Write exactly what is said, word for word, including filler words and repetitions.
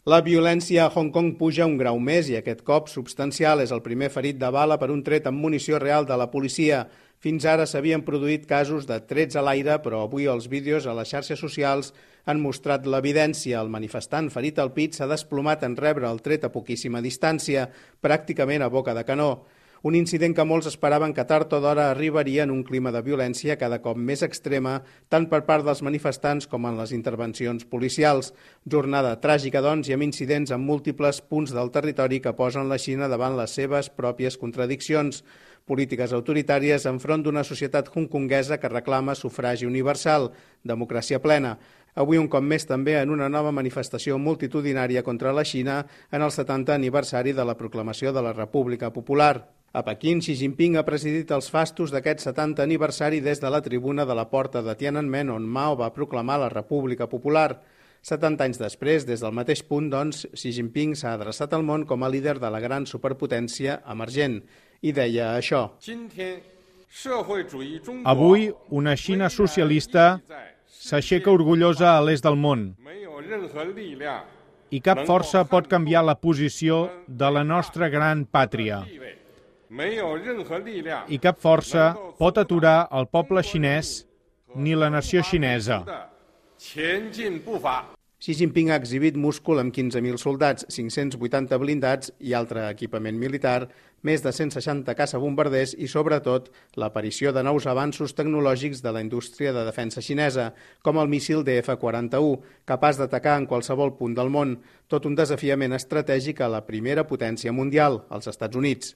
La violència a Hong Kong puja un grau més i aquest cop substancial. És el primer ferit de bala per un tret amb munició real de la policia. Fins ara s'havien produït casos de trets a l'aire, però avui els vídeos a les xarxes socials han mostrat l'evidència. El manifestant ferit al pit s'ha desplomat en rebre el tret a poquíssima distància, pràcticament a boca de canó. Un incident que molts esperaven que tard o d'hora arribaria en un clima de violència cada cop més extrema, tant per part dels manifestants com en les intervencions policials. Jornada tràgica, doncs, i amb incidents en múltiples punts del territori que posen la Xina davant les seves pròpies contradiccions. Polítiques autoritàries enfront d'una societat hongkonguesa que reclama sufragi universal, democràcia plena. Avui un cop més també en una nova manifestació multitudinària contra la Xina en el setantè aniversari de la proclamació de la República Popular. A Pequín, Xi Jinping ha presidit els fastos d'aquest setantè aniversari des de la tribuna de la porta de Tiananmen, on Mao va proclamar la República Popular. setanta anys després, des del mateix punt, doncs, Xi Jinping s'ha adreçat al món com a líder de la gran superpotència emergent i deia això. Avui, una Xina socialista s'aixeca orgullosa a l'est del món i cap força pot canviar la posició de la nostra gran pàtria. I cap força pot aturar el poble xinès ni la nació xinesa. Xi Jinping ha exhibit múscul amb quinze mil soldats, cinc-cents vuitanta blindats i altre equipament militar, més de cent seixanta caçabombarders i, sobretot, l'aparició de nous avanços tecnològics de la indústria de defensa xinesa, com el míssil D F quaranta-u, capaç d'atacar en qualsevol punt del món, tot un desafiament estratègic a la primera potència mundial, els Estats Units.